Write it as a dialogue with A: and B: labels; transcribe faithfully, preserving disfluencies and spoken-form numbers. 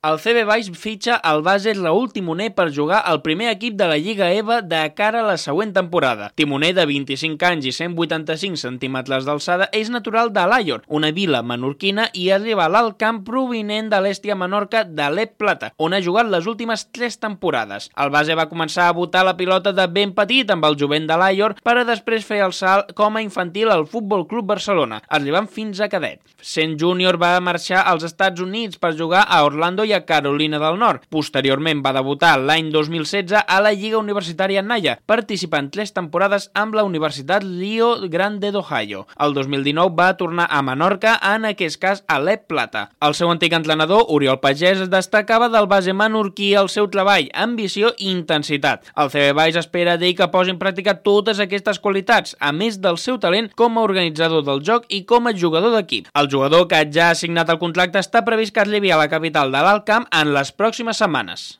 A: El C B Baix fitxa el base Raúl Timoner per jugar al primer equip de la Lliga E V A de cara a la següent temporada. Timoner, de vint-i-cinc anys i cent vuitanta-cinc centímetres d'alçada, és natural d'Alaior, una vila menorquina, i arriba a l'Alt Camp provinent de l'Hèstia Menorca de l'E P Plata, on ha jugat les últimes tres temporades. El base va començar a botar la pilota de ben petit amb el jovent d'Alaior per a després fer el salt com a infantil al Futbol Club Barcelona, arribant fins a cadet. Sent júnior va marxar als Estats Units per jugar a Orlando i a Carolina del Nord. Posteriorment va debutar l'any dos mil setze a la Lliga Universitària Naya, participant tres temporades amb la Universitat Rio Grande d'Ohio. El dos mil dinou va tornar a Menorca, en aquest cas a l'E P Plata. El seu antic entrenador, Oriol Pagès, destacava del base menorquí el seu treball, ambició i intensitat. El C B Baix espera d'ell que posi en pràctica totes aquestes qualitats, a més del seu talent com a organitzador del joc i com a jugador d'equip. El jugador, que ja ha signat el contracte, està previst que arribi a la capital de l'Alt Camp en les pròximes setmanes.